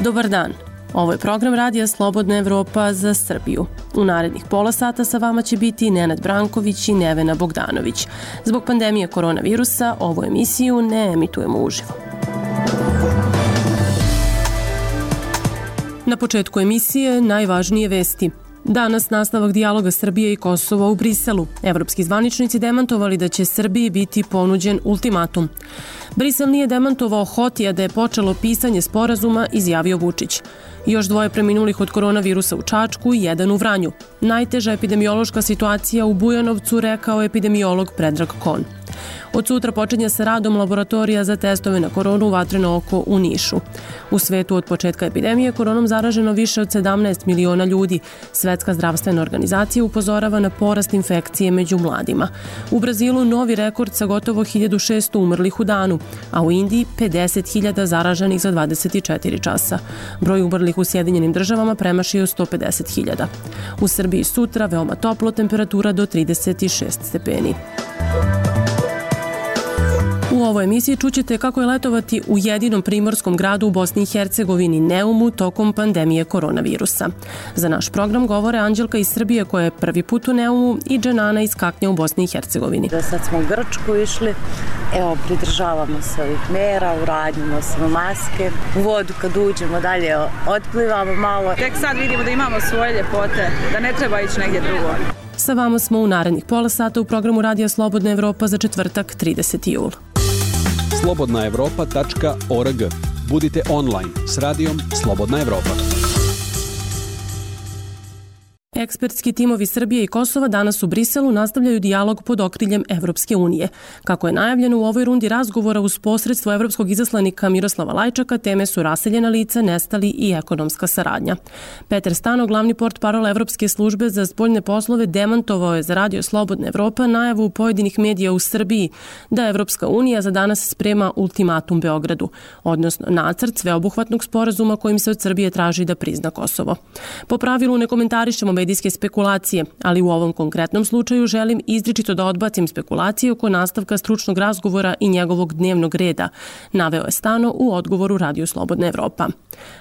Dobar dan. Ovo je program Radija Slobodna Evropa za Srbiju. U narednih pola sata sa vama će biti Nenad Branković i Nevena Bogdanović. Zbog pandemije koronavirusa ovu emisiju ne emitujemo uživo. Na početku emisije najvažnije vesti. Danas nastavak dijaloga Srbije i Kosova u Briselu. Evropski zvaničnici demantovali da će Srbiji biti ponuđen ultimatum. Brisel nije demantovao Hotija da je počelo pisanje sporazuma, izjavio Vučić. Još 2 preminulih od koronavirusa u Čačku i 1 u Vranju. Najteža epidemiološka situacija u Bujanovcu, rekao epidemiolog Predrag Kon. Od sutra počinje sa radom laboratorija za testove na koronu Vatreno oko u Nišu. U svetu od početka epidemije koronom zaraženo više od 17 miliona ljudi. Svetska zdravstvena organizacija upozorava na porast infekcije među mladima. U Brazilu novi rekord sa gotovo 1600 umrlih u danu, a u Indiji 50.000 zaraženih za 24 časa. Broj umrlih u Sjedinjenim državama premašio 150.000. U Srbiji sutra veoma toplo, temperatura do 36 stepeni. U ovoj emisiji čućete kako je letovati u jedinom primorskom gradu u Bosni i Hercegovini, Neumu, tokom pandemije koronavirusa. Za naš program govore Anđelka iz Srbije koja je prvi put u Neumu i Dženana iz Kaknja u Bosni i Hercegovini. Sad smo u Grčku išli, pridržavamo se ovih mera, uradimo smo maske. U vodu kad uđemo dalje otplivamo malo. Tek sad vidimo da imamo svoje ljepote, da ne treba ići negdje drugo. Sa vama smo u narednih pola sata u programu Radija Slobodna Evropa za četvrtak 30. jul. slobodnaevropa.org. Budite online s radijom Slobodna Evropa. Ekspertski timovi Srbije i Kosova danas u Briselu nastavljaju dijalog pod okriljem Evropske unije. Kako je najavljeno u ovoj rundi razgovora uz posredstvo evropskog izaslanika Miroslava Lajčaka, teme su raseljena lica, nestali i ekonomska saradnja. Petar Stano, glavni portparol Evropske službe za spoljne poslove, demantovao je za Radio Slobodna Evropa najavu pojedinih medija u Srbiji da Evropska unija za danas sprema ultimatum Beogradu, odnosno nacrt sveobuhvatnog sporazuma kojim se od Srbije traži da prizna Kosovo. Po pravilu ne komentarišemo medijske spekulacije, ali u ovom konkretnom slučaju želim izričito da odbacim spekulacije oko nastavka stručnog razgovora i njegovog dnevnog reda, naveo je Stano u odgovoru Radiju Slobodna Evropa.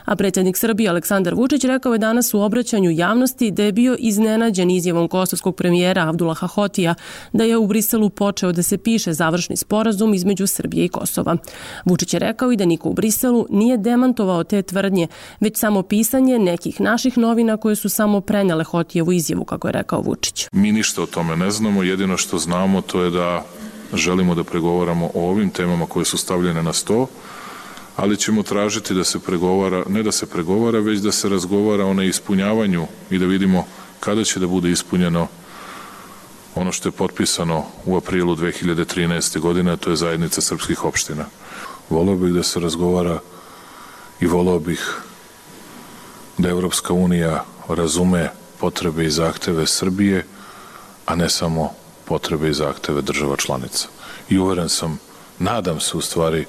A predsjednik Srbije Aleksandar Vučić rekao je danas u obraćanju javnosti da je bio iznenađen izjavom kosovskog premijera Abdullaha Hotija da je u Briselu počeo da se piše završni sporazum između Srbije i Kosova. Vučić je rekao i da niko u Briselu nije demantovao te tvrdnje, već samo pisanje nekih naših novina koje su samo prenele Hotijevu izjavu, kako je rekao Vučić. Mi ništa o tome ne znamo, jedino što znamo to je da želimo da pregovaramo o ovim temama koje su stavljene na sto, ali ćemo tražiti da se pregovara, ne da se pregovara, već da se razgovara o neispunjavanju i da vidimo kada će da bude ispunjeno ono što je potpisano u aprilu 2013. godine, a to je zajednica srpskih opština. Voleo bih da se razgovara i voleo bih da Evropska unija razume potrebe i zahteve Srbije, a ne samo potrebe i zahteve država članica. I uveren sam, nadam se u stvari,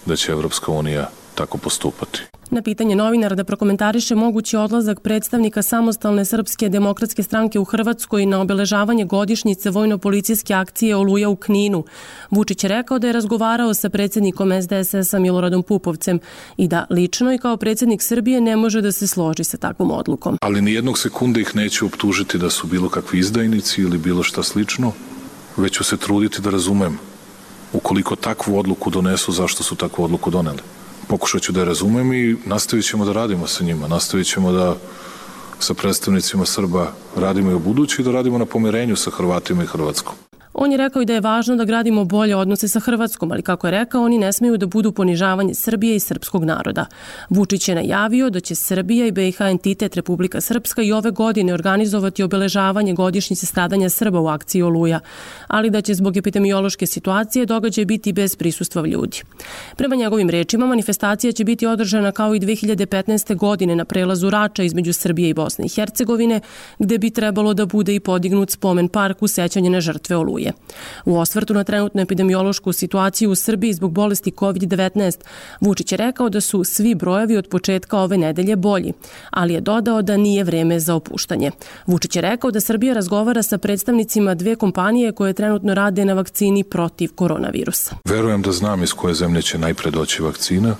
da će Evropska unija tako postupati. Na pitanje novinara da prokomentariše mogući odlazak predstavnika samostalne Srpske demokratske stranke u Hrvatskoj na obeležavanje godišnjice vojno-policijske akcije Oluja u Kninu, Vučić je rekao da je razgovarao sa predsjednikom SDSS-a Miloradom Pupovcem i da lično i kao predsjednik Srbije ne može da se složi sa takvom odlukom. Ali ni jednog sekunde ih neću optužiti da su bilo kakvi izdajnici ili bilo šta slično, već ću se truditi da razumem ukoliko takvu odluku donesu, zašto su takvu odluku doneli. Pokušat ću da je razumem i nastavit ćemo da radimo sa njima. Nastavit ćemo da sa predstavnicima Srba radimo i u budući i da radimo na pomirenju sa Hrvatima i Hrvatskom. On je rekao i da je važno da gradimo bolje odnose sa Hrvatskom, ali kako je rekao, oni ne smiju da budu ponižavanje Srbije i srpskog naroda. Vučić je najavio da će Srbija i BiH entitet Republika Srpska i ove godine organizovati obeležavanje godišnjice stradanja Srba u akciji Oluja, ali da će zbog epidemiološke situacije događaj biti bez prisustva ljudi. Prema njegovim rečima, manifestacija će biti održana kao i 2015. godine na prelazu Rača između Srbije i Bosne i Hercegovine, gde bi trebalo da bude i podignut spomen park u sećanje na žrtve Oluje. U osvrtu na trenutnu epidemiološku situaciju u Srbiji zbog bolesti COVID-19, Vučić je rekao da su svi brojevi od početka ove nedelje bolji, ali je dodao da nije vreme za opuštanje. Vučić je rekao da Srbija razgovara sa predstavnicima 2 kompanije koje trenutno rade na vakcini protiv koronavirusa. Verujem da znam iz koje zemlje će najpre doći vakcina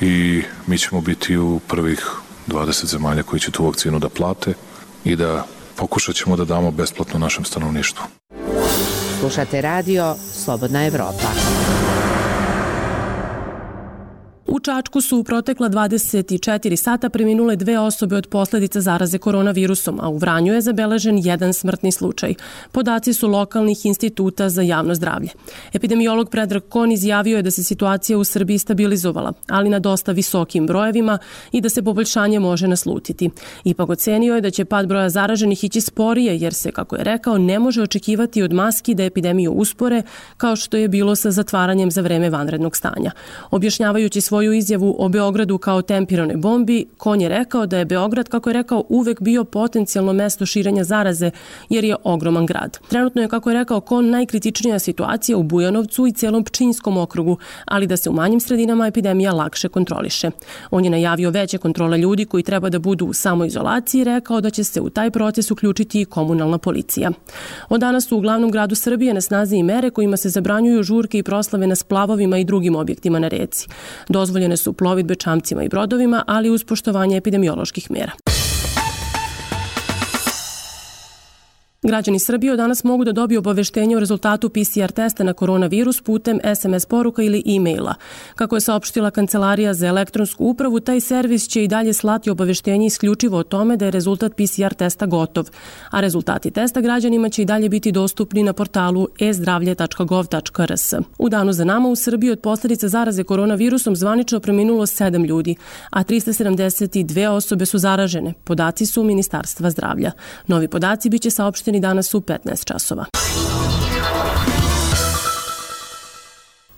i mi ćemo biti u prvih 20 zemalja koji će tu vakcinu da plate i da pokušat ćemo da damo besplatno našem stanovništvu. Slušate radio Slobodna Evropa. U Čačku su u protekla 24 sata preminule 2 osobe od posledica zaraze koronavirusom, a u Vranju je zabeležen 1 smrtni slučaj. Podaci su lokalnih instituta za javno zdravlje. Epidemiolog Predrag Kon izjavio je da se situacija u Srbiji stabilizovala, ali na dosta visokim brojevima i da se poboljšanje može naslutiti. Ipak ocenio je da će pad broja zaraženih ići sporije, jer se, kako je rekao, ne može očekivati od maski da epidemiju uspore, kao što je bilo sa zatvaranjem za vreme vanrednog stanja. Objašnjavajući svoju izjavu o Beogradu kao tempiranoj bombi, Kon je rekao da je Beograd, kako je rekao, uvek bio potencijalno mesto širenja zaraze jer je ogroman grad. Trenutno je, kako je rekao Kon, najkritičnija situacija u Bujanovcu i celom Pčinjskom okrugu, ali da se u manjim sredinama epidemija lakše kontroliše. On je najavio veće kontrole ljudi koji treba da budu u samoizolaciji i rekao da će se u taj proces uključiti i komunalna policija. Od danas su u glavnom gradu Srbije na snazi i mere kojima se zabranjuju žurke i proslave na splavovima i drugim objektima na reci. Dozvoljene su plovidbe čamcima i brodovima, ali uz poštovanje epidemioloških mera. Građani Srbije od danas mogu da dobiju obaveštenje o rezultatu PCR testa na koronavirus putem SMS poruka ili e-maila. Kako je saopštila Kancelarija za elektronsku upravu, taj servis će i dalje slati obaveštenje isključivo o tome da je rezultat PCR testa gotov, a rezultati testa građanima će i dalje biti dostupni na portalu e-zdravlje.gov.rs. U danu za nama u Srbiji od posljedica zaraze koronavirusom zvanično preminulo 7 ljudi, a 372 osobe su zaražene. Podaci su Ministarstva zdravlja. Novi podaci biće saopšteni danas u 15 časova.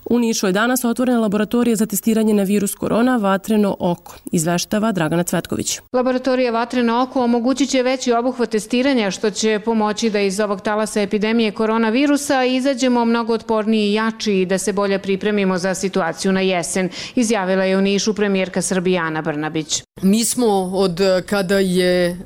U Nišu je danas otvorena laboratorija za testiranje na virus korona Vatreno oko, izveštava Dragana Cvetković. Laboratorija Vatreno oko omogućit će veći obuhvat testiranja, što će pomoći da iz ovog talasa epidemije koronavirusa izađemo mnogo otporniji i jači i da se bolje pripremimo za situaciju na jesen, izjavila je u Nišu premijerka Srbije Ana Brnabić. Mi smo od kada je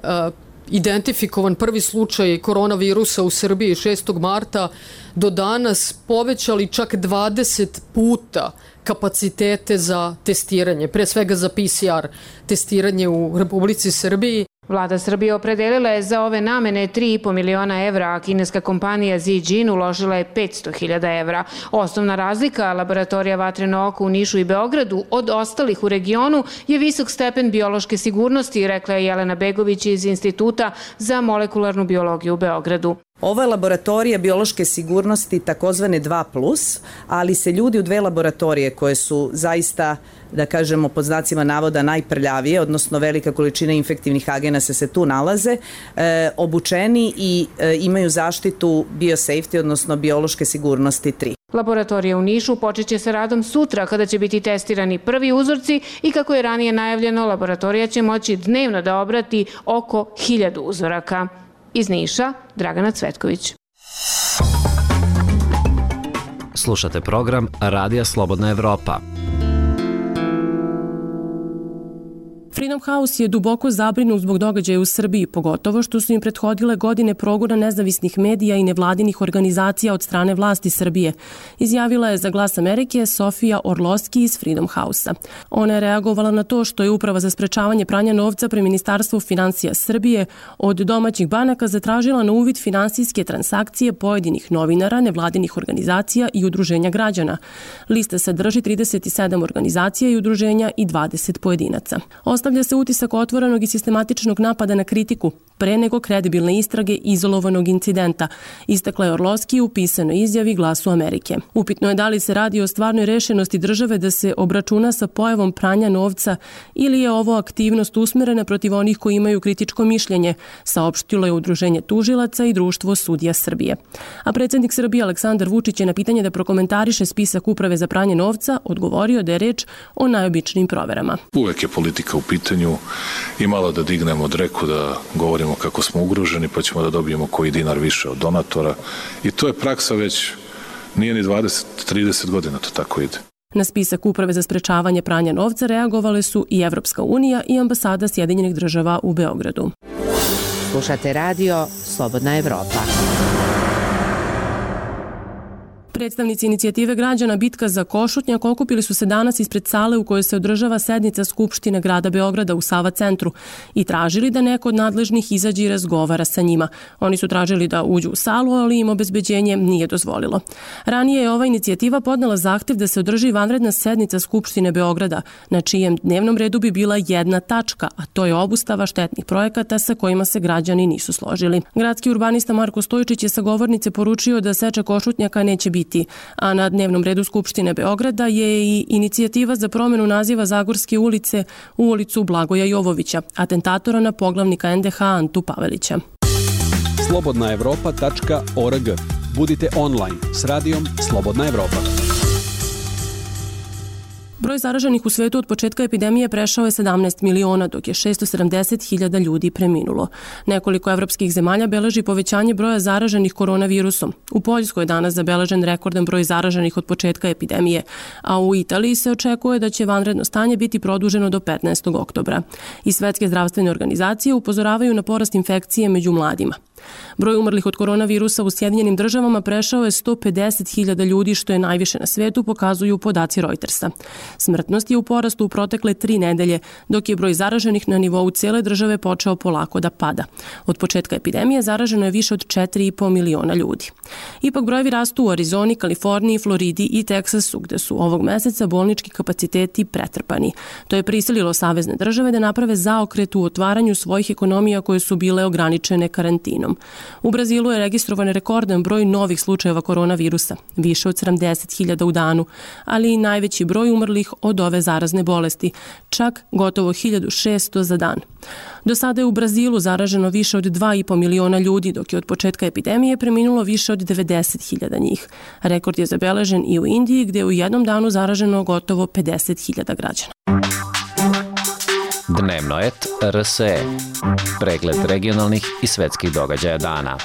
identifikovan prvi slučaj koronavirusa u Srbiji 6. marta do danas povećali čak 20 puta kapacitete za testiranje, pre svega za PCR testiranje u Republici Srbiji. Vlada Srbije opredelila je za ove namene 3,5 miliona evra, a kineska kompanija Zijin uložila je 500.000 evra. Osnovna razlika laboratorija Vatreno oko u Nišu i Beogradu od ostalih u regionu je visok stepen biološke sigurnosti, rekla je Jelena Begović iz Instituta za molekularnu biologiju u Beogradu. Ovo je laboratorija biološke sigurnosti takozvane 2+, ali se ljudi u 2 laboratorije koje su zaista, da kažemo pod znacima navoda, najprljavije, odnosno velika količina infektivnih agenasa se tu nalaze, obučeni i imaju zaštitu biosafety, odnosno biološke sigurnosti 3. Laboratorija u Nišu počeće sa radom sutra kada će biti testirani prvi uzorci i kako je ranije najavljeno, laboratorija će moći dnevno da obrati oko 1000 uzoraka. Iz Niša, Dragana Cvetković. Slušate program Radija Slobodna Evropa. Freedom House je duboko zabrinut zbog događaja u Srbiji, pogotovo što su im prethodile godine progona nezavisnih medija i nevladinih organizacija od strane vlasti Srbije, izjavila je za Glas Amerike Sofija Orlovski iz Freedom House-a. Ona je reagovala na to što je Uprava za sprečavanje pranja novca pri Ministarstvu finansija Srbije od domaćih banaka zatražila na uvid finansijske transakcije pojedinih novinara, nevladinih organizacija i udruženja građana. Lista sadrži 37 organizacija i udruženja i 20 pojedinaca. Ostavlja se utisak otvorenog i sistematičnog napada na kritiku, pre nego kredibilne istrage izolovanog incidenta, istakla je Orlovski u pisanoj izjavi Glasu Amerike. Upitno je da li se radi o stvarnoj rešenosti države da se obračuna sa pojavom pranja novca ili je ovo aktivnost usmerena protiv onih koji imaju kritičko mišljenje, saopštilo je Udruženje tužilaca i Društvo sudija Srbije. A predsjednik Srbije Aleksandar Vučić je na pitanje da prokomentariše spisak Uprave za pranje novca odgovorio da je reč o najobičnijim proverama. Uvek je politika u pitanju i malo da dignemo dreku, da govorimo kako smo ugroženi, pa ćemo da dobijemo koji dinar više od donatora. I to je praksa već nije ni 20-30 godina, to tako ide. Na spisak Uprave za sprečavanje pranja novca reagovale su i Evropska unija i ambasada Sjedinjenih država u Beogradu. Slušate radio Slobodna Evropa. Predstavnici inicijative građana Bitka za Košutnjak okupili su se danas ispred sale u kojoj se održava sednica Skupštine grada Beograda u Sava centru i tražili da neko od nadležnih izađe i razgovara sa njima. Oni su tražili da uđu u salu, ali im obezbeđenje nije dozvolilo. Ranije je ova inicijativa podnela zahtev da se održi vanredna sednica Skupštine Beograda, na čijem dnevnom redu bi bila jedna tačka, a to je obustava štetnih projekata sa kojima se građani nisu složili. Gradski urbanista Marko Stojčić je sa govornice poručio da seča Košutnjaka neće biti, a na dnevnom redu Skupštine Beograda je i inicijativa za promenu naziva Zagorske ulice u ulicu Blagoja Jovovića, atentatora na poglavnika NDH Antu Pavelića. slobodnaevropa.org. Budite online s radijom Slobodna Evropa. Broj zaraženih u svetu od početka epidemije prešao je 17 miliona, dok je 670.000 ljudi preminulo. Nekoliko evropskih zemalja beleži povećanje broja zaraženih koronavirusom. U Poljskoj je danas zabeležen rekordan broj zaraženih od početka epidemije, a u Italiji se očekuje da će vanredno stanje biti produženo do 15. oktobra. I Svetske zdravstvene organizacije upozoravaju na porast infekcije među mladima. Broj umrlih od koronavirusa u Sjedinjenim državama prešao je 150.000 ljudi, što je najviše na svetu, pokazuju podaci Reutersa. Smrtnost je u porastu u protekle 3 nedelje, dok je broj zaraženih na nivou cijele države počeo polako da pada. Od početka epidemije zaraženo je više od 4,5 miliona ljudi. Ipak brojevi rastu u Arizoni, Kaliforniji, Floridi i Teksasu, gde su ovog meseca bolnički kapaciteti pretrpani. To je prisililo savezne države da naprave zaokret u otvaranju svojih ekonomija koje su bile ograničene karantinom. U Brazilu je registrovan rekordan broj novih slučajeva koronavirusa, više od 70.000 u danu, ali i najveći broj umrlih od ove zarazne bolesti, čak gotovo 1.600 za dan. Do sada je u Brazilu zaraženo više od 2,5 miliona ljudi, dok je od početka epidemije preminulo više od 90.000 njih. Rekord je zabeležen i u Indiji, gde je u jednom danu zaraženo gotovo 50.000 građana. Dnevno et RSE. Pregled regionalnih i svetskih događaja dana.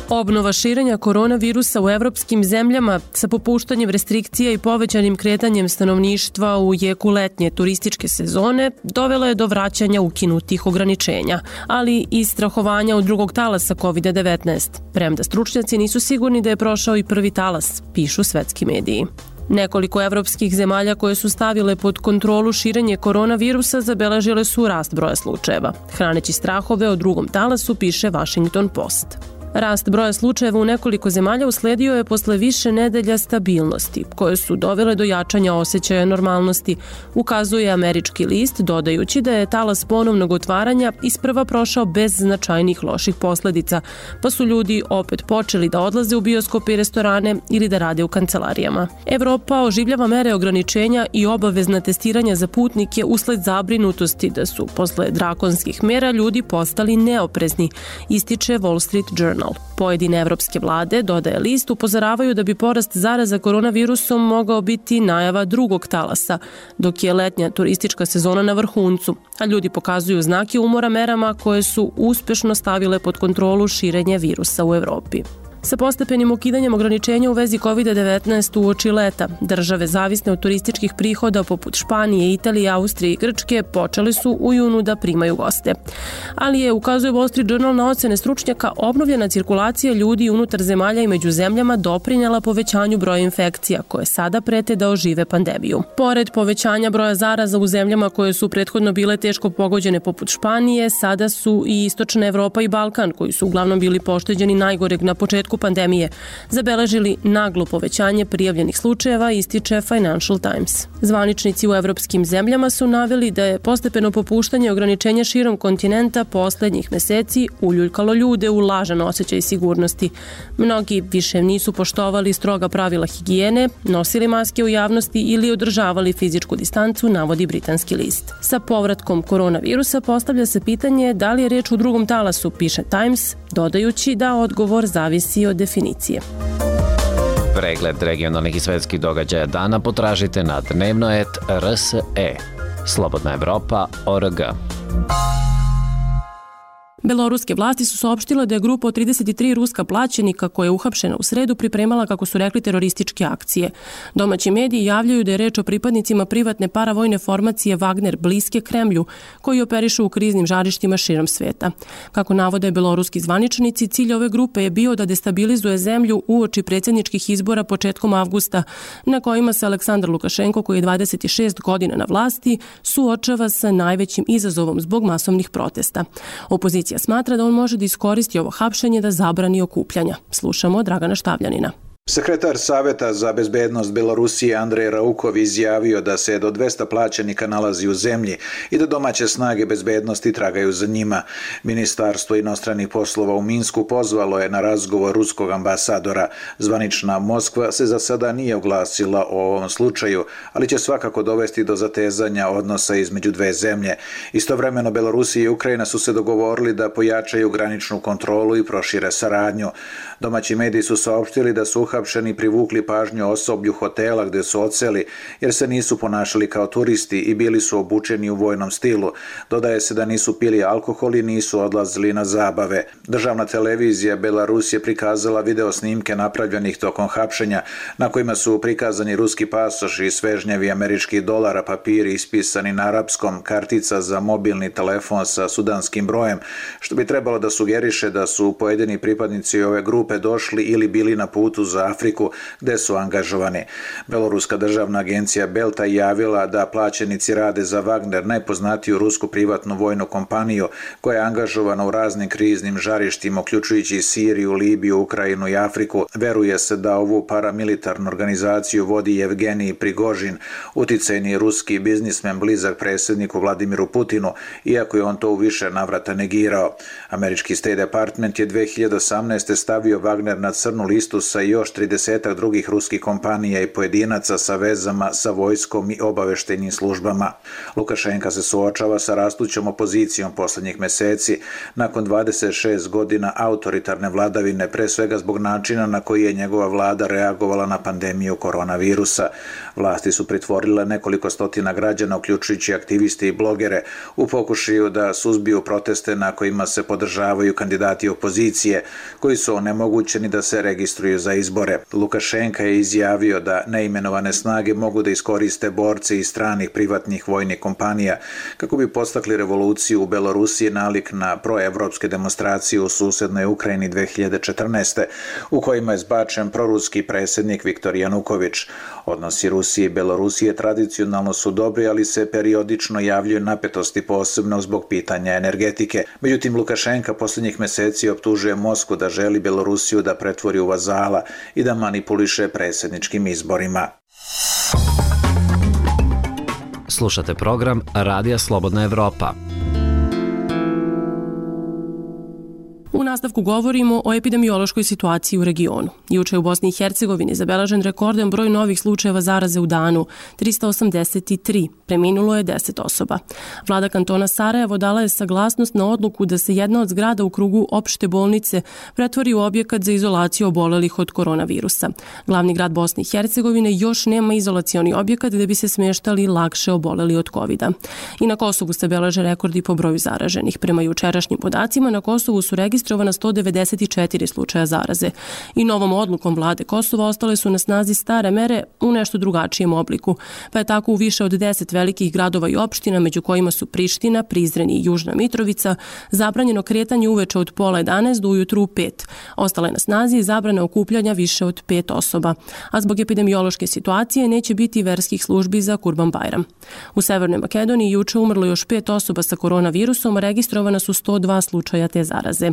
Obnova širenja koronavirusa u evropskim zemljama sa popuštanjem restrikcija i povećanim kretanjem stanovništva u jeku letnje turističke sezone dovela je do vraćanja ukinutih ograničenja, ali i strahovanja od drugog talasa COVID-19. Premda stručnjaci nisu sigurni da je prošao i prvi talas, pišu svetski mediji. Nekoliko evropskih zemalja koje su stavile pod kontrolu širenje koronavirusa zabeležile su rast broja slučajeva, hraneći strahove o drugom talasu, piše Washington Post. Rast broja slučajeva u nekoliko zemalja usledio je posle više nedelja stabilnosti, koje su dovele do jačanja osjećaja normalnosti, ukazuje američki list, dodajući da je talas ponovnog otvaranja isprva prošao bez značajnih loših posledica, pa su ljudi opet počeli da odlaze u bioskope i restorane ili da rade u kancelarijama. Evropa oživljava mere ograničenja i obavezna testiranja za putnike usled zabrinutosti da su posle drakonskih mera ljudi postali neoprezni, ističe Wall Street Journal. Pojedine evropske vlade, dodaje list, upozoravaju da bi porast zaraza koronavirusom mogao biti najava drugog talasa, dok je letnja turistička sezona na vrhuncu, a ljudi pokazuju znake umora merama koje su uspešno stavile pod kontrolu širenje virusa u Evropi. Sa postepenim ukidanjem ograničenja u vezi COVID-19 uoči leta, države zavisne od turističkih prihoda poput Španije, Italije, Austrije i Grčke počeli su u junu da primaju goste. Ali je, ukazuje Wall Street Journal na ocene stručnjaka, obnovljena cirkulacija ljudi unutar zemalja i među zemljama doprinjela povećanju broja infekcija koje sada prete da ožive pandemiju. Pored povećanja broja zaraza u zemljama koje su prethodno bile teško pogođene poput Španije, sada su i Istočna Evropa i Balkan, koji su uglavnom bili pošteđeni najgoreg na početku pandemije, zabeležili naglo povećanje prijavljenih slučajeva, ističe Financial Times. Zvaničnici u evropskim zemljama su naveli da je postepeno popuštanje ograničenja širom kontinenta poslednjih meseci uljuljkalo ljude u lažan osjećaj sigurnosti. Mnogi više nisu poštovali stroga pravila higijene, nosili maske u javnosti ili održavali fizičku distancu, navodi britanski list. Sa povratkom koronavirusa postavlja se pitanje da li je reč u drugom talasu, piše Times, dodajući da odgovor zavisi od definicije. Pregled regionalnih i svetskih događaja dana potražite na dnevno.rt.rse. Slobodna Evropa.org. Beloruske vlasti su saopštile da je grupa od 33 ruska plaćenika koja je uhapšena u sredu pripremala, kako su rekli, terorističke akcije. Domaći mediji javljaju da je reč o pripadnicima privatne paravojne formacije Wagner bliske Kremlju, koji operišu u kriznim žarištima širom sveta. Kako navode beloruski zvaničnici, cilj ove grupe je bio da destabilizuje zemlju uoči predsjedničkih izbora početkom avgusta, na kojima se Aleksandar Lukašenko, koji je 26 godina na vlasti, suočava sa najvećim izazovom zbog masovnih protesta. Opozicija smatra da on može da iskoristi ovo hapšenje da zabrani okupljanja. Slušamo Dragana Štavljanina. Sekretar Saveta za bezbednost Belorusije Andrej Raukov izjavio da se do 200 plaćenika nalazi u zemlji i da domaće snage bezbednosti tragaju za njima. Ministarstvo inostranih poslova u Minsku pozvalo je na razgovor ruskog ambasadora. Zvanična Moskva se za sada nije oglasila o ovom slučaju, ali će svakako dovesti do zatezanja odnosa između dve zemlje. Istovremeno Belorusija i Ukrajina su se dogovorili da pojačaju graničnu kontrolu i prošire saradnju. Domaći mediji su saopštili da su uhapšeni privukli pažnju osoblju hotela gde su odseli, jer se nisu ponašali kao turisti i bili su obučeni u vojnom stilu. Dodaje se da nisu pili alkohol i nisu odlazili na zabave. Državna televizija Belarus je prikazala video snimke napravljenih tokom hapšenja, na kojima su prikazani ruski pasoši, svežnjevi američkih dolara, papiri ispisani na arapskom, kartica za mobilni telefon sa sudanskim brojem, što bi trebalo da sugeriše da su pojedini pripadnici ove grupe došli ili bili na putu za Afriku, gde su angažovani. Beloruska državna agencija Belta javila da plaćenici rade za Wagner, najpoznatiju rusku privatnu vojnu kompaniju, koja je angažovana u raznim kriznim žarištima, uključujući Siriju, Libiju, Ukrajinu i Afriku. Veruje se da ovu paramilitarnu organizaciju vodi Evgenij Prigožin, uticajni ruski biznismen blizak predsjedniku Vladimiru Putinu, iako je on to u više navrata negirao. Američki State Department je 2018. stavio Wagner na crnu listu sa još 30 drugih ruskih kompanija i pojedinaca sa vezama sa vojskom i obaveštajnim službama. Lukašenka se suočava sa rastućom opozicijom poslednjih meseci nakon 26 godina autoritarne vladavine, pre svega zbog načina na koji je njegova vlada reagovala na pandemiju koronavirusa. Vlasti su pritvorile nekoliko stotina građana, uključujući aktiviste i blogere, u pokušaju da suzbiju proteste na kojima se podržavaju kandidati opozicije, koji su onemogućeni da se registruju za izbore. Lukašenka je izjavio da neimenovane snage mogu da iskoriste borce iz stranih privatnih vojnih kompanija kako bi podstakli revoluciju u Belorusiji nalik na proevropske demonstracije u susednoj Ukrajini 2014. u kojima je zbačen proruski predsjednik Viktor Januković. Odnosi Rusije i Belorusije tradicionalno su dobri, ali se periodično javljaju napetosti, posebno zbog pitanja energetike. Međutim, Lukašenka posljednjih meseci optužuje Moskvu da želi Belorusiju da pretvori u vazala i da manipuliše predsjedničkim izborima. Slušate program Radija Slobodna Evropa. U nastavku govorimo o epidemiološkoj situaciji u regionu. Juče u Bosni i Hercegovini zabeležen rekordan broj novih slučajeva zaraze u danu, 383, preminulo je 10 osoba. Vlada kantona Sarajevo dala je saglasnost na odluku da se jedna od zgrada u krugu opšte bolnice pretvori u objekat za izolaciju obolelih od koronavirusa. Glavni grad Bosne i Hercegovine još nema izolacioni objekat gde bi se smeštali lakše oboleli od covida. I na Kosovu se beleže rekordi po broju zaraženih. Prema jučerašnjim podacima na Kosovu su registrovana 194 slučaja zaraze. I novom odlukom vlade Kosova ostale su na snazi stare mere u nešto drugačijem obliku, pa je tako u više od 10 velikih gradova i opština, među kojima su Priština, Prizren i Južna Mitrovica, zabranjeno kretanje uveče od 10:30 do ujutru u 5. Ostale na snazi zabrana okupljanja više od 5 osoba, a zbog epidemiološke situacije neće biti verskih službi za Kurban Bajram. U Severnoj Makedoniji juče umrlo još 5 osoba sa koronavirusom, a registrovana su 102 slučaja te zaraze.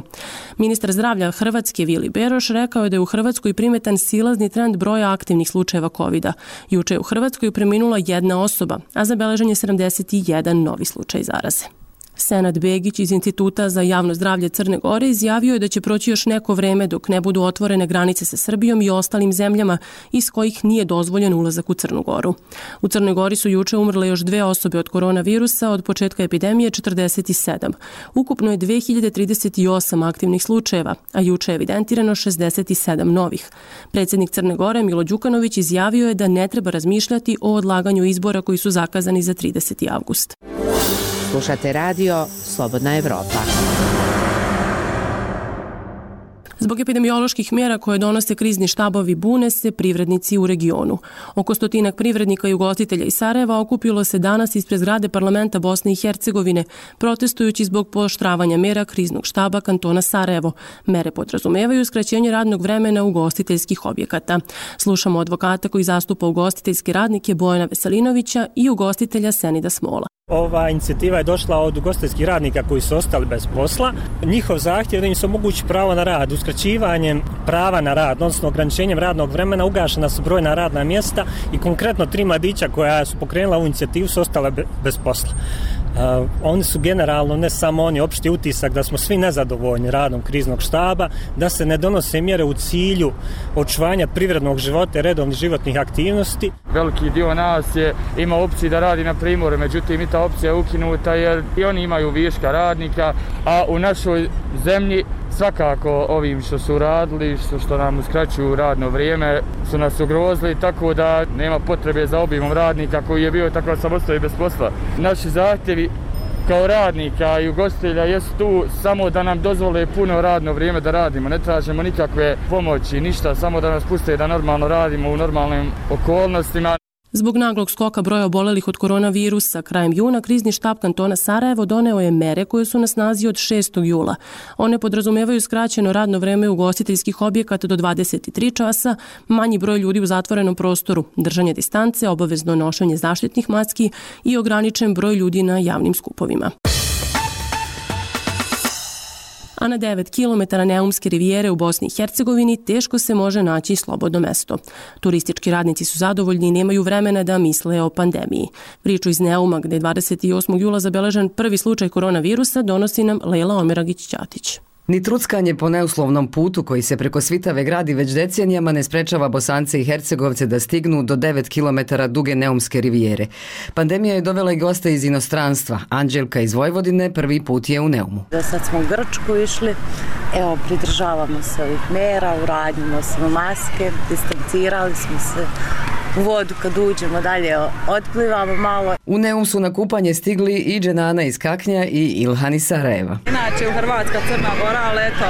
Ministar zdravlja Hrvatske Vili Beroš rekao je da je u Hrvatskoj primetan silazni trend broja aktivnih slučajeva covida. Juče je u Hrvatskoj preminula 1 osoba, a zabeležen je 71 novi slučaj zaraze. Senad Begić iz Instituta za javno zdravlje Crne Gore izjavio je da će proći još neko vreme dok ne budu otvorene granice sa Srbijom i ostalim zemljama iz kojih nije dozvoljen ulazak u Crnu Goru. U Crnoj Gori su juče umrle još 2 osobe od koronavirusa, od početka epidemije 47. Ukupno je 2038 aktivnih slučajeva, a juče je evidentirano 67 novih. Predsjednik Crne Gore Milo Đukanović izjavio je da ne treba razmišljati o odlaganju izbora koji su zakazani za 30. avgust. Slušate radio Slobodna Evropa. Zbog epidemioloških mjera koje donose krizni štabovi bune se privrednici u regionu. Oko 100 privrednika i ugostitelja iz Sarajeva okupilo se danas ispred zgrade parlamenta Bosne i Hercegovine, protestujući zbog pooštravanja mjera kriznog štaba kantona Sarajevo. Mere podrazumevaju skraćenje radnog vremena ugostiteljskih objekata. Slušamo advokata koji zastupa ugostiteljske radnike Bojana Veselinovića i ugostitelja Senida Smola. Ova inicijativa je došla od ugostiteljskih radnika koji su ostali bez posla. Njihov zahtjev je da im se omogući pravo na rad. Uskraćivanjem prava na rad, odnosno ograničenjem radnog vremena, ugašena su brojna radna mjesta i konkretno 3 mladića koja su pokrenula ovu inicijativu su ostale bez posla. Oni su generalno, ne samo oni, opšti utisak da smo svi nezadovoljni radom kriznog štaba, da se ne donose mjere u cilju očuvanja privrednog života i redovnih životnih aktivnosti. Veliki dio nas ima opciju da radi na Primorju, međutim i ta opcija je ukinuta jer i oni imaju viška radnika, a u našoj zemlji svakako ovim što su radili, što nam uskraćuju radno vrijeme, su nas ugrozili, tako da nema potrebe za obimom radnika koji je bio, tako da sam ostao i bez posla. Naši zahtjevi kao radnika i ugostitelja jesu tu samo da nam dozvole puno radno vrijeme da radimo. Ne tražimo nikakve pomoći, ništa, samo da nas puste da normalno radimo u normalnim okolnostima. Zbog naglog skoka broja obolelih od koronavirusa krajem juna, krizni štab kantona Sarajevo doneo je mere koje su na snazi od 6. jula. One podrazumevaju skraćeno radno vreme ugostiteljskih objekata do 23 časa, manji broj ljudi u zatvorenom prostoru, držanje distance, obavezno nošenje zaštitnih maski i ograničen broj ljudi na javnim skupovima. A na 9 km Neumske rivijere u Bosni i Hercegovini teško se može naći slobodno mesto. Turistički radnici su zadovoljni i nemaju vremena da misle o pandemiji. Priču iz Neuma, gde je 28. jula zabeležen prvi slučaj koronavirusa, donosi nam Lejla Omeragić-Ćatić. Ni truckanje po neuslovnom putu koji se preko Svitave gradi već decenijama ne sprečava Bosance i Hercegovce da stignu do 9 km duge Neumske rivijere. Pandemija je dovela i goste iz inostranstva. Anđelka iz Vojvodine prvi put je u Neumu. Sad smo u Grčku išli, evo pridržavamo se ovih mjera, uradimo smo maske, distancirali smo se. U vodu kad uđemo dalje otplivamo malo. U Neum su na kupanje stigli i Dženana iz Kaknja i Ilhan iz Sarajeva. Inače u Hrvatska, Crna Gora, ali eto,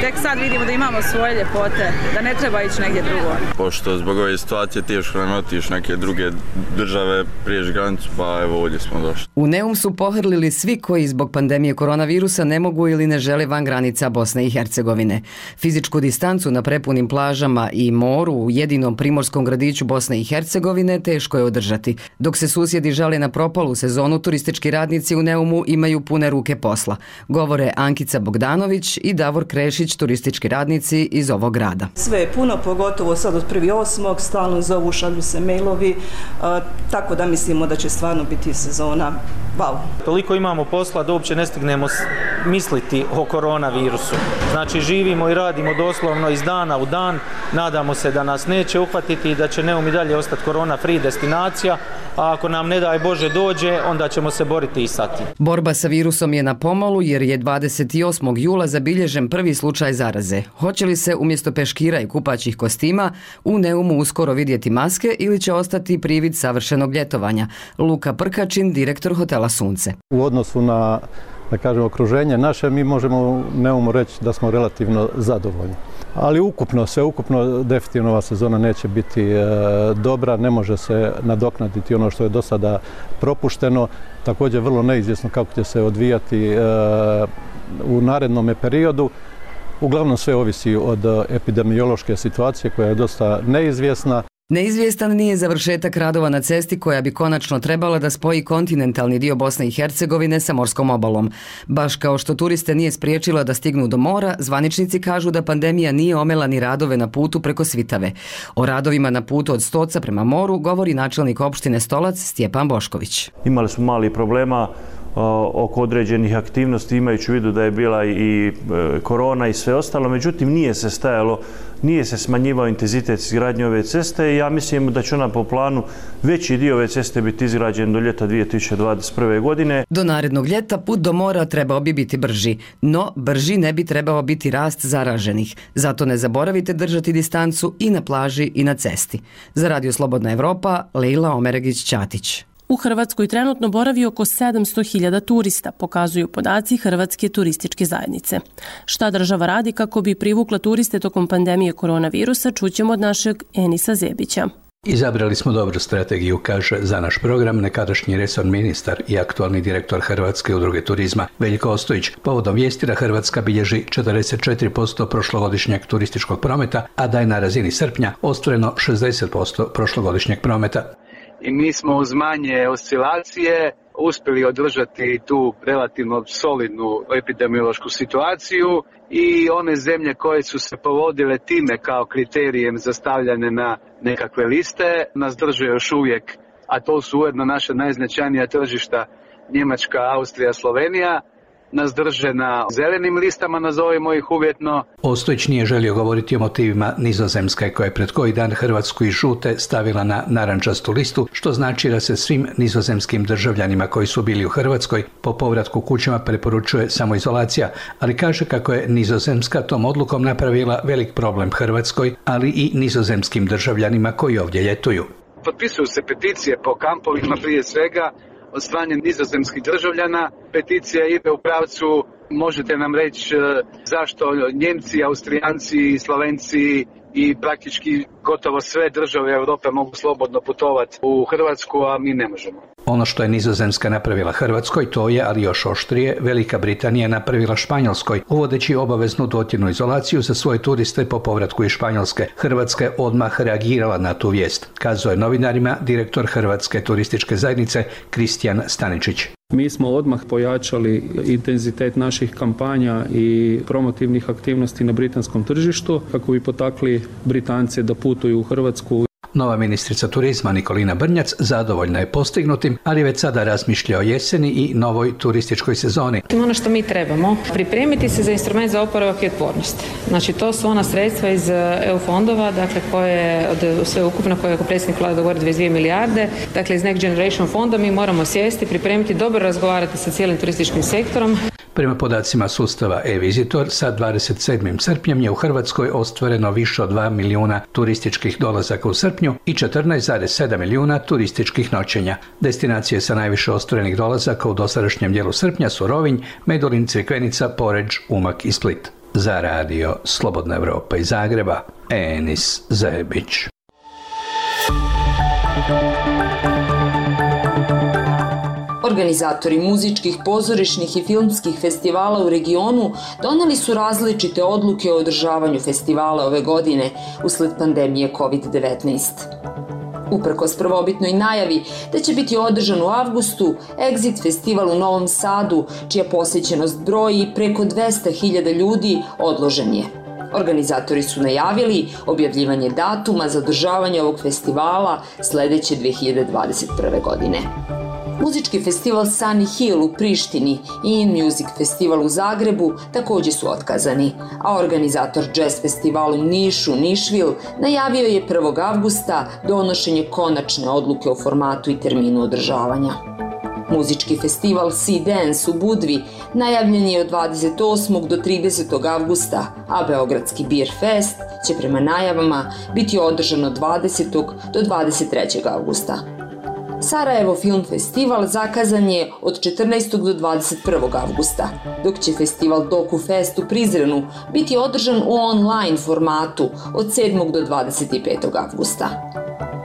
tek sad vidimo da imamo svoje ljepote, da ne treba ići negdje drugo. Pošto zbog ove situacije teško nam otići neke druge države, prijeći granicu, pa evo ovdje smo došli. U Neum su pohrlili svi koji zbog pandemije koronavirusa ne mogu ili ne žele van granica Bosne i Hercegovine. Fizičku distancu na prepunim plažama i moru u jedinom primorskom gradiću Bosne i Hercegovine teško je održati. Dok se susjedi žale na propalu sezonu, turistički radnici u Neumu imaju pune ruke posla. Govore Ankica Bogdanović i Davor Krešić, turistički radnici iz ovog grada. Sve je puno, pogotovo sad od 1.8. stalno zovu, šalju se mailovi, tako da mislimo da će stvarno biti sezona. Wow. Toliko imamo posla da uopće ne stignemo misliti o koronavirusu. Znači živimo i radimo doslovno iz dana u dan, nadamo se da nas neće uhvatiti i da će Neum i dalje ostati korona free destinacija, a ako nam ne daj Bože dođe, onda ćemo se boriti i sa tim. Borba sa virusom je na pomolu jer je 28. jula zabilježen prvi slučaj zaraze. Hoće li se umjesto peškira i kupaćih kostima u Neumu uskoro vidjeti maske ili će ostati privid savršenog ljetovanja? Luka Prkačin, direktor hotela Sunce. U odnosu na, da kažem, okruženje naše, mi možemo u Neumu reći da smo relativno zadovoljni. Ali ukupno definitivno ova sezona neće biti dobra, ne može se nadoknaditi ono što je do sada propušteno. Također vrlo neizvjesno kako će se odvijati u narednom periodu. Uglavnom sve ovisi od epidemiološke situacije koja je dosta neizvjesna. Neizvjestan nije završetak radova na cesti koja bi konačno trebala da spoji kontinentalni dio Bosne i Hercegovine sa morskom obalom. Baš kao što turiste nije spriječila da stignu do mora, zvaničnici kažu da pandemija nije omela ni radove na putu preko Svitave. O radovima na putu od Stoca prema moru govori načelnik opštine Stolac Stjepan Bošković. Imali smo mali problema oko određenih aktivnosti, imajući u vidu da je bila i korona i sve ostalo, međutim nije se smanjivao intenzitet izgradnje ove ceste i ja mislim da će ona po planu veći dio ove ceste biti izgrađen do ljeta 2021. godine. Do narednog ljeta put do mora trebao bi biti brži, no brži ne bi trebao biti rast zaraženih. Zato ne zaboravite držati distancu i na plaži i na cesti. Za Radio Slobodna Evropa, Lejla Omeragić-Ćatić. U Hrvatskoj trenutno boravi oko 700.000 turista, pokazuju podaci Hrvatske turističke zajednice. Šta država radi kako bi privukla turiste tokom pandemije koronavirusa, čućemo od našeg Enisa Zebića. Izabrali smo dobru strategiju, kaže za naš program nekadašnji resorni ministar i aktualni direktor Hrvatske udruge turizma Veljko Ostojić. Povodom vijesti da Hrvatska bilježi 44% prošlogodišnjeg turističkog prometa, a da je na razini srpnja ostvareno 60% prošlogodišnjeg prometa. I mi smo uz manje oscilacije uspjeli održati tu relativno solidnu epidemiološku situaciju i one zemlje koje su se povodile time kao kriterijem za stavljanje na nekakve liste nas drže još uvijek, a to su ujedno naša najznačajnija tržišta Njemačka, Austrija, Slovenija, nas drže na zelenim listama, nazovimo ih uvjetno. Ostojić nije želio govoriti o motivima Nizozemske koja je pred koji dan Hrvatsku iz žute stavila na narančastu listu, što znači da se svim nizozemskim državljanima koji su bili u Hrvatskoj po povratku kućama preporučuje samoizolacija, ali kaže kako je Nizozemska tom odlukom napravila velik problem Hrvatskoj, ali i nizozemskim državljanima koji ovdje ljetuju. Potpisuju se peticije po kampovima prije svega od strane nizozemskih državljana. Peticija ide u pravcu, možete nam reći zašto Njemci, Austrijanci, Slovenci i praktički gotovo sve države Europe mogu slobodno putovati u Hrvatsku, a mi ne možemo. Ono što je Nizozemska napravila Hrvatskoj, to je, ali još oštrije, Velika Britanija napravila Španjolskoj, uvodeći obaveznu dotjernu izolaciju za svoje turiste po povratku iz Španjolske. Hrvatska je odmah reagirala na tu vijest, kazao je novinarima direktor Hrvatske turističke zajednice Kristijan Staničić. Mi smo odmah pojačali intenzitet naših kampanja i promotivnih aktivnosti na britanskom tržištu kako bi potakli Britance da putuju u Hrvatsku. Nova ministrica turizma Nikolina Brnjac zadovoljna je postignutim, ali već sada razmišlja o jeseni i novoj turističkoj sezoni. Ono što mi trebamo, pripremiti se za instrument za oporavak i otpornost. Znači to su ona sredstva iz EU fondova, dakle koje od sve ukupno koje je predsjednik Vlade dogovorio 22 milijarde, dakle iz Next Generation fonda mi moramo sjesti, pripremiti, dobro razgovarati sa cijelim turističkim sektorom. Prema podacima sustava e-Visitor, sa 27. srpnjem je u Hrvatskoj ostvareno više od 2 milijuna turističkih dolazaka u srpnju i 14,7 milijuna turističkih noćenja. Destinacije sa najviše ostvarenih dolazaka u dosadašnjem dijelu srpnja su Rovinj, Medulin, Crikvenica, Poreč, Umag i Split. Za radio Slobodna Evropa iz Zagreba, Enis Zebić. Organizatori muzičkih, pozorišnih i filmskih festivala u regionu doneli su različite odluke o održavanju festivala ove godine usled pandemije COVID-19. Uprkos prvobitnoj najavi da će biti održan u avgustu, Exit festival u Novom Sadu, čija posjećenost broji preko 200.000 ljudi, odložen je. Organizatori su najavili objavljivanje datuma za održavanje ovog festivala sledeće 2021. godine. Muzički festival Sunny Hill u Prištini i In Music festival u Zagrebu također su otkazani, a organizator jazz festivala u Nišu, Nišvil, najavio je 1. avgusta donošenje konačne odluke o formatu i terminu održavanja. Muzički festival Sea Dance u Budvi najavljen je od 28. do 30. avgusta, a Beogradski Beer Fest će prema najavama biti održan od 20. do 23. avgusta. Sarajevo Film Festival zakazan je od 14. do 21. avgusta, dok će festival Doku Fest u Prizrenu biti održan u online formatu od 7. do 25. avgusta.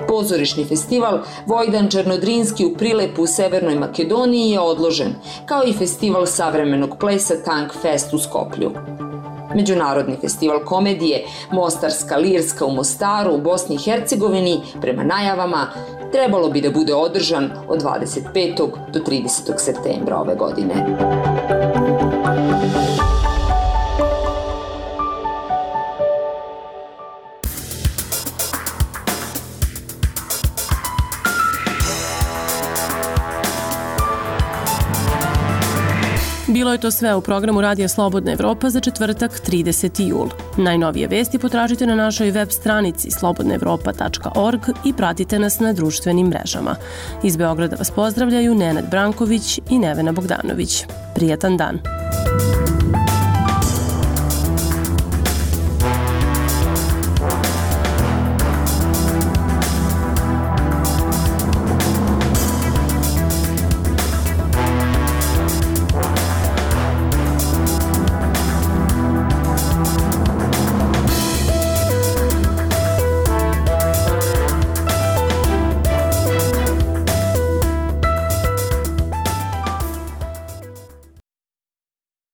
Pozorišni festival Vojdan Černodrinski u Prilepu u Severnoj Makedoniji je odložen, kao i festival savremenog plesa Tank Fest u Skoplju. Međunarodni festival komedije Mostarska Lirska u Mostaru u Bosni i Hercegovini, prema najavama, trebalo bi da bude održan od 25. do 30. septembra ove godine. Bilo je to sve u programu Radija Slobodna Evropa za četvrtak 30. jul. Najnovije vesti potražite na našoj web stranici slobodnaevropa.org i pratite nas na društvenim mrežama. Iz Beograda vas pozdravljaju Nenad Branković i Nevena Bogdanović. Prijatan dan!